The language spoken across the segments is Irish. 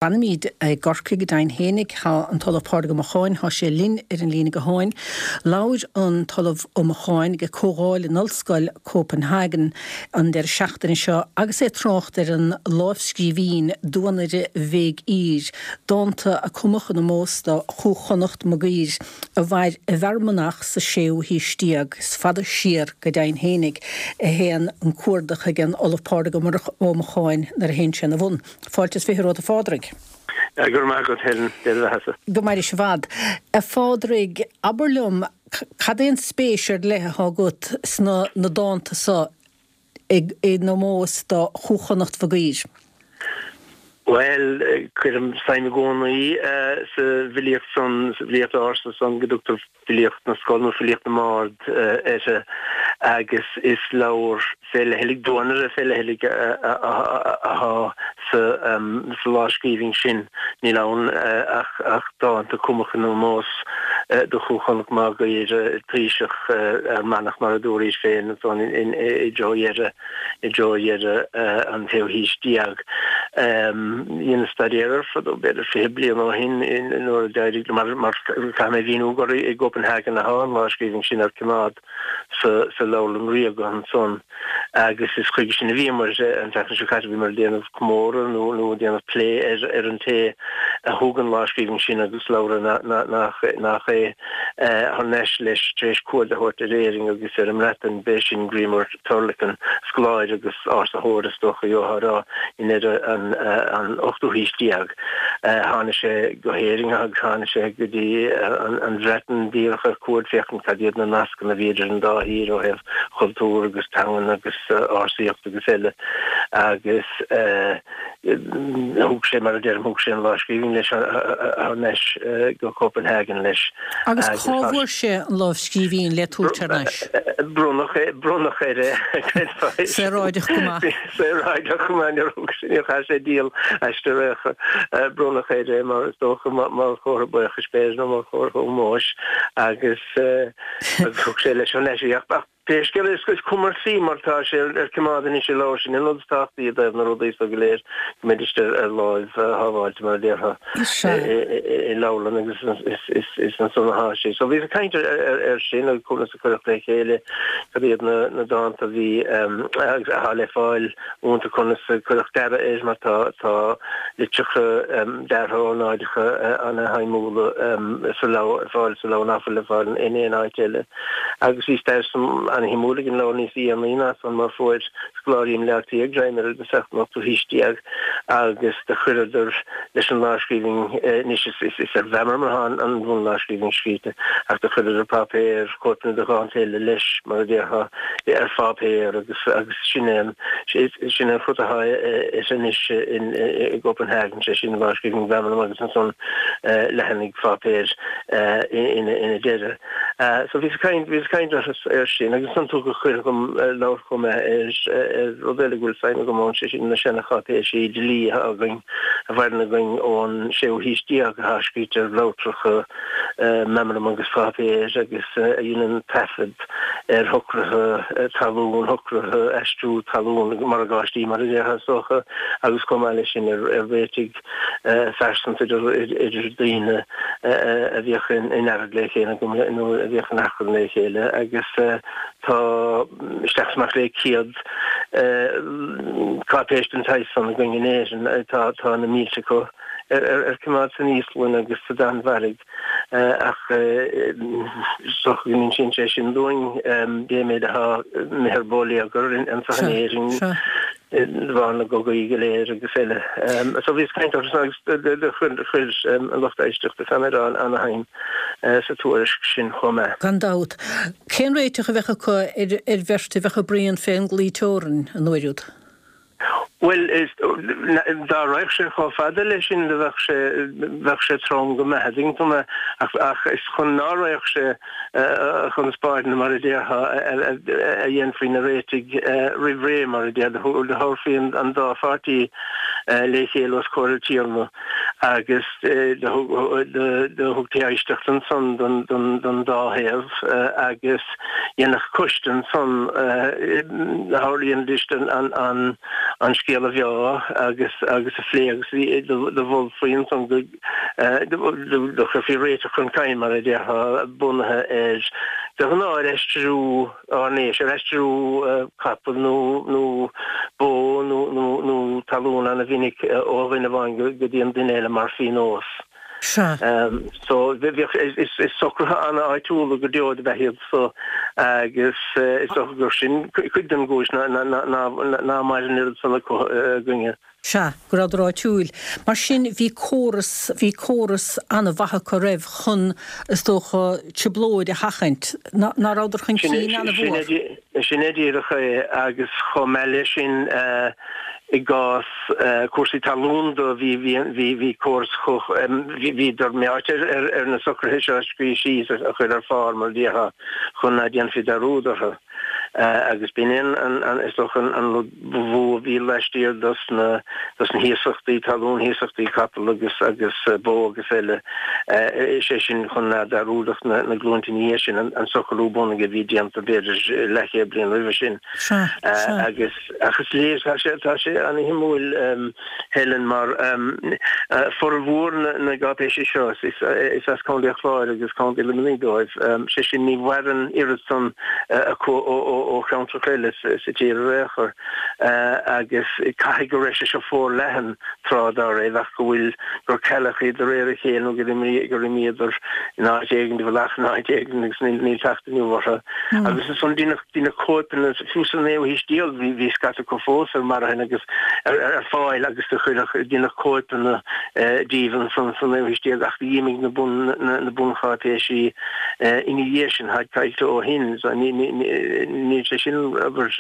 Fanaimid i gCorcaigh go deimhin fhéinig. Tá an tOllamh Pádraig Ó Mocháin, tá sé linn ar an líne gutháin. Labhair an tOllamh Ó Mocháin ag comhdháil in Ollscoil Copenhagen an deireadh seachtaine seo agus é ag trácht ar an lámhscríbhinn Duanaire Mhig Uidhir, dánta a cumadh in ómós do Chú Chonnacht Mag Uidhir a mhair i bhFear Manach sa séú haois déag. Is fada siar go deimhin fhéinig a théann an cuardach ag an Ollamh Pádraig Ó Mocháin nuair a théann sé ina bhun. Fáilte is 20 romhat a Phádraig. Go raibh maith agat Helen, Dia do bheatha-sa. Go mairis i bhfad. A Phádraig, abair liom, cad é an spéis ar leith atá agat sna na dánta so in ómós do Chú Chonnacht Mhig Uidhir? Bhuel, cuirim suim i gcónaí sa bhfilíocht san, sa bhfilíocht ársa san go dtugtar Filíocht na Scol nó Filíocht na mBard uirthi agus is leabhar fé leithligh, duanaire fé leithligh athá sa lámhscríbhinn sin. Níl ann ach dánta cumtha in ómós do Chú Chonnacht Mag Uidhir, taoiseach Fhear Manach mar a dúraís féin ansan i dtreo dheireadh i dtreo dheireadh an tséú haois déag. Dheineas staidéar air fadó, b'fhéidir 20 bliain ó shin, nuair a d'éirigh liom, mar caithfidh mé a mhíniú gur i gCopenhagen atá an lámhscríbhinn sin ar coimeád sa Leabharlann Ríoga ansan agus is chuige sin a bhíomar an tseachtain seo caite, bhíomar ag déanamh comóradh nó ag déanamh plé ar an té a thug an lámhscríbhinn sin agus leabhra nach é thar n-ais leis tar éis cuaird a thabhairt ar Éirinn agus ar an mBreatain, b'é sin Gríomar Turlacan, scoláire agus ársaitheoir is dócha gheofá a rá, i ndeireadh an ochtú haois déag. Tháinig sé go hÉirinn agus tháinig sé go dtí an Bhreatain díreach ar cuaird féachaint cad iad na nascanna a bhí idir an dá thír ó thaobh chultúr agus teangan agus ársaíocht agus eile agus Thug sé, mar a deirim, thug sé an lámhscríbhinn leis thar n-ais go Copenhagen leis. Agus cá bhfuair sé an lámhscríbhinn le tabhairt thar n-ais? Bronnadh é, bronnadh air é, creidfeá. Saoráideach go maith. Saoráideach go maith, níor thug sé, níor chaith sé díol aisti ar aon chor. Bronnadh air é, mar is dócha, mar chomhartha buíochais b'fhéidir, nó mar chomhartha ómóis, agus thug sé leis thar n-ais í. Ach Pé scéal é, is cuma ar mar tá sé ar coimeád anois i leabhar, sin an rud is tábhachtaí i dtaobh na rudaí so go léir, go mbeidís ar láimh shábháilte, mar a déarfá, i leabharlann agus is ansan atá sé. So bhíos ag caint air sin agus conas a cuireadh le chéile, cad iad na dánta a bhí, atá le fáil iontu, conas a cuireadh dearadh air mar tá litreacha deartha ornáideacha ana-shuimiúla sa leabhar, fáil sa leabhar nach bhfuil le fáil in aon áit eile. Agus bhí stair an-shuimiúil ag an leabhar níos dhéanaí ná san mar fuair scoláirí i mBleá Cliath greim air i dtosach an ochtú haois déag agus do chuireadar leis an lámhscríbhinn, anois is ar mheamram atá an bhunlámhscríbhinn scríte ach do chuireadar páipéar, cóipeanna de dhánta eile leis mar a déarfá, ar pháipéar agus agus sin é an sin an rud atá anois i gCopenhagen, sé sin lámhscríbhinn mheamraim agus ansan leathanaigh pháipéir ina deireadh. So bhíos ag caint, bhíos ag caint air sin agus ansan tugadh cuireadh dom labhairt chomh maith ar rud eile go bhfuil suim agam ann, sé sin na seana-cháipéisí dlí atá againn, a mhaireann againn ón séú haois déag atá scríte ar bhleabhtracha meamram agus páipéir agus a dhéanann taifead ar shocruithe talún, shocruithe aistriú talún, morgáistí mar a déarfá is dócha, agus chomh maith leis sin ar réitigh phearsanta idir daoine a bhíodh in earraid le chéile nó a bhíodh in achrann le chéile agus tá isteach is amach le 100 cáipéis den tsaghas san againn in Éirinn. Tá na mílte acu ar coimeád san Íoslainn agus sa Danmhairg. Ach is dócha go n-insíonn sé sin dúinn cé méid atá imithe ar bóiléagar anseo in Éirinn de bharr na gcogaí go léir agus eile. So bhíos ag caint orthu agus do chuir an lucht éisteachta fé mar ana-shuim sa tuairisc sin chomh maith. Gan dabht. Cén réiteach a bheadh acu ar bheirt a bheadh ag bruíon fén gclaí teorann an uair úd? Bhuel, dá raghadh sé chomh fada leis sin, bheadh sé, bheadh sé trom go maith, an dtuigeann tú mé, ach, ach is chun ná raghadh sé chun spáirne, mar a déarfá, a dhéanfaí na réitigh roimh ré, mar a déarfá, do thabharfaí an dá pháirtí le chéile os comhair an tiarna. Agus do thugtaí éisteacht ansan don dá thaobh agus dhéanfadh coiste ansan, tharlaídís an scéal a mheá agus a phlé agus do mholfaí ansan go do chuirfí réiteach chun cinn, mar a déarfá, bunaithe ar, de ghnáth, ar aistriú. airnéis, ar aistriú capall nó nó bó nó nó nó talún ana-mhinic ó dhuine amháin go dtí an duine eile mar phionós. Sea. So bhíodh, is is socruithe ana-áitiúla go deo dob ea iad so agus is dócha gur sin cuid den gcúis ná ná ná ná maireann oiread san acu againne. Sea, go rabhadar áitiúil. Mar sin, bhí córas, bhí córas an-mhaith acu roimh chun, is dócha, trioblóid a sheachaint. Ná rabhadar chun cinn an-mhór? Sin é díreach é agus chomh maith leis sin, i gcás cúrsaí talún do, bhí, bhí, bhí, bhí córas chomh, bhíodar meáite ar, ar na socruithe seo a scríobh síos, a chur ar phár, mar a déarfá, chun ná déanfaí dearúd orthu. Agus b'in é an, is dócha, an rud ba mhó a bhí laistiar dos na, dos na hiasachtaí talún, hiasachtaí capall agus, agus bó agus eile, is é sin chun ná dearúdfadh na, na glúinte ina dhiaidh sin an, an socrú bunaidh a bhí déanta b'fhéidir leathchéad bliain roimhe sin. Sea, sea. Agus, ach is léir, tá sé, tá sé ana-shuimiúil, Helen, mar formhór na gcáipéisí seo, is as Contae an Chláir agus Contae Luimnigh dóibh, sé sin ní mhaireann oiread san acu ó cheantracha eile sa tír ar aon chor, agus caithfidh go raibh sé seo forleathan tráth dá raibh ach go bhfuil, gur cailleadh iad de réir a chéile nó gur imíodar in áit éigin, i bhfolach in áit éigin agus níl teacht inniu orthu. Agus ansan deineadh cóipeanna, fiú sa naoú haois déag bhí scata acu fós ar marthain agus ar fáil agus do chuireadh, deineadh cóipeanna díobh ansan sa naoú haois déag ach d'imigh na bun, na buncháipéisí ina dhiaidh sin, táid caillte ó shin. So ní, ní, níl sé sin, abair,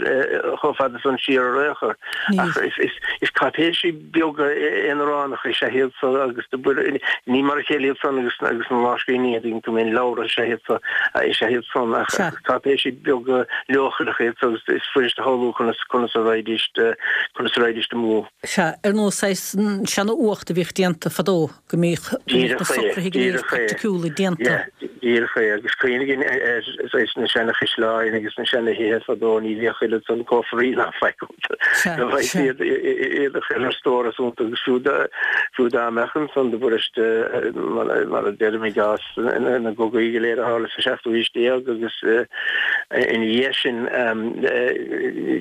chomh fada san siar ar aon chor. Ach is, is, is cáipéisí beaga aonaránacha is ea iad so agus ní mar a chéile iad san agus agus na lámhscríbhinní a dtuigeann tú mé, leabhra is ea iad so is ea iad san ach cáipéisí beaga leochaileacha iad so agus is fuirist a shamhlú conas conas a raghaidís conas a raghaidís amú. Sea, ar nós saghas seana-uacht a bhíodh déanta fadó. go mbíodh na socruithe go léir praiticiúla déanta. Díreach é, agus cuimhnigh ar saghas na seana-chaisleáin agus na seana-thithe fadó, ní bhíodh oiread san cófraí ná faic iontu. Do bheadh iad iad a chur ar stóras iontu agus fiú dá fiú dá mbeadh ansan do b'fhuiriste mar a deirim i gcás na gcogaí go léir a tharla sa seachtú haois déag agus ina dhiaidh sin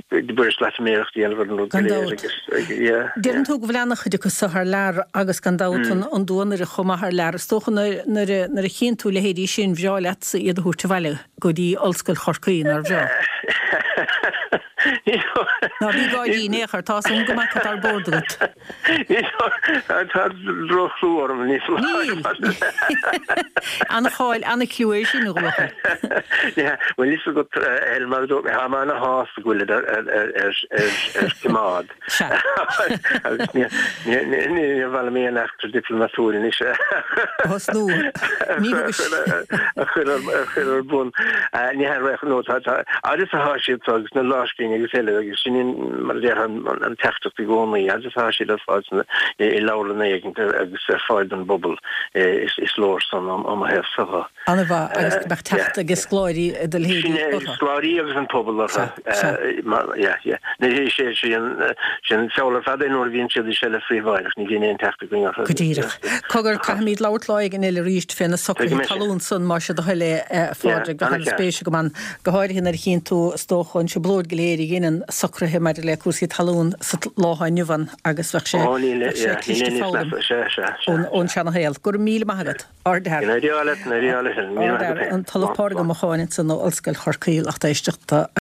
do b'fhuirist loitiméireacht a dhéanamh ar an rud go Gan léir dabht. agus yeah, Deireann tú go bhfuil ana-chuid acu so thar lear agus gan dabht an duanaire chomh maith thar lear. Is dócha nuair a chíonn tú leithéidí sin bhreá leatsa iad a thabhairt abhaile go dtí Ollscoil Chorcaí, nár bhreá? Ná bí ag gáirí in aon chor, tá a fhios agam go mbeadh ar bord agat. Tá droch-chlú orm, ní foláir. Níl. Ana-cháil, ana-chliú é sin, a bhuachaill. Bhuel, fhios agat, Helen, mar a dúirt mé, tá mé ana-shásta go bhfuilid ar coimeád. Sea. Agus níor mhaith liom aon eachtra diplomatúil anois a thosnú. Ní thugais. a chur ar bun. Ní hea, no, tá, fhad is atá siad so agus na lámhscríbhinní agus eile agus sin mar a déarfá an teachtaireacht i gcónaí, fhad is atá siad ar fáil i leabharlanna éigin agus ar fáil don bpobal is leor san ó mo thaobhsa dhe. An-mhaith agus go mbeadh teacht ag scoláirí i do leithéidí Sin é, orthu. scoláirí agus an pobal orthu. Sea, sea. Yeah, yeah. Is é sin feall ar fad é nuair a bhíonn siad i seilbh phríobháideach, ní bhíonn aon teacht againn orthu. Go díreach. Cogar, caithfimid labhairt lá éigin eile arís fé na socruithe talún san, más é do thoil é, a Phádraig. Bheadh an-spéis agam ann, go háirithe nuair a chíonn tú, is dócha, an trioblóid go léir a dheineann socruithe maidir le cúrsaí talún sa lá atá inniu ann agus bheadh sé, bheadh sé cliste foghlaim ón seana-shaol. Go raibh míle maith agat. Ardfhear. Ardfhear. An tOllamh Pádraig Ó Mocháin ansan ó Ollscoil Chorcaí, lucht éisteachta.